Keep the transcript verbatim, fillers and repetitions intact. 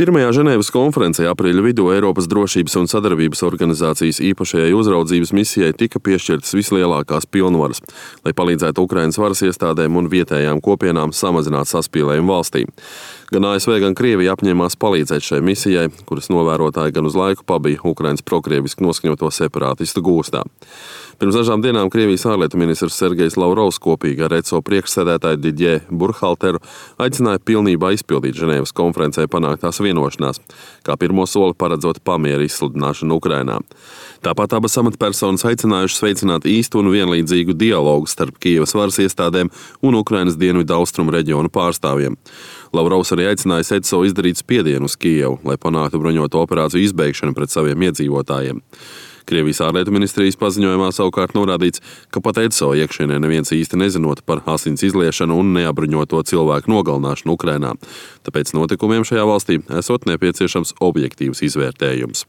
Pirmajā Ženēvas konferencē aprīļa vidū Eiropas drošības un sadarbības organizācijas īpašajai uzraudzības misijai tika piešķirtas vislielākās pilnvaras, lai palīdzētu Ukrainas varas iestādēm un vietējām kopienām samazināt saspīlējumu valstī. Gan A S V, gan Krievija apņēmās palīdzēt šai misijai, kuras novērotāji gan uz laiku pabija Ukrainas prokrieviski noskaņoto separātistu gūstā. Pirms dažām dienām Krievijas ārlietu ministrs Sergejs Lavrovs kopīgi ar E C O priekšsēdētāju Didjē Burkhalteru aicināja pilnībā izpildīt Ženēvas konferencē panāktās vienošanās, kā pirmo soli paredzot pamiera izsludināšanu Ukrainā. Tāpat abas amatpersonas aicinājušas veicināt īstu un vienlīdzīgu dialogu starp Kijevas varas iestādēm un Ukrainas dienvidu austrumu reģionu pārstāvjiem. Lavrovs arī aicināja E C O izdarīt spiedienu uz Kijevu, lai panāktu bruņoto operāciju izbeigšanu pret saviem iedzīvotājiem. Krievijas ārlietu ministrijas paziņojumā savukārt norādīts, ka pat E C O iekšienē neviens īsti nezinot par asins izliešanu un neapbruņoto cilvēku nogalināšanu Ukrainā. Tāpēc notikumiem šajā valstī esot nepieciešams objektīvs izvērtējums.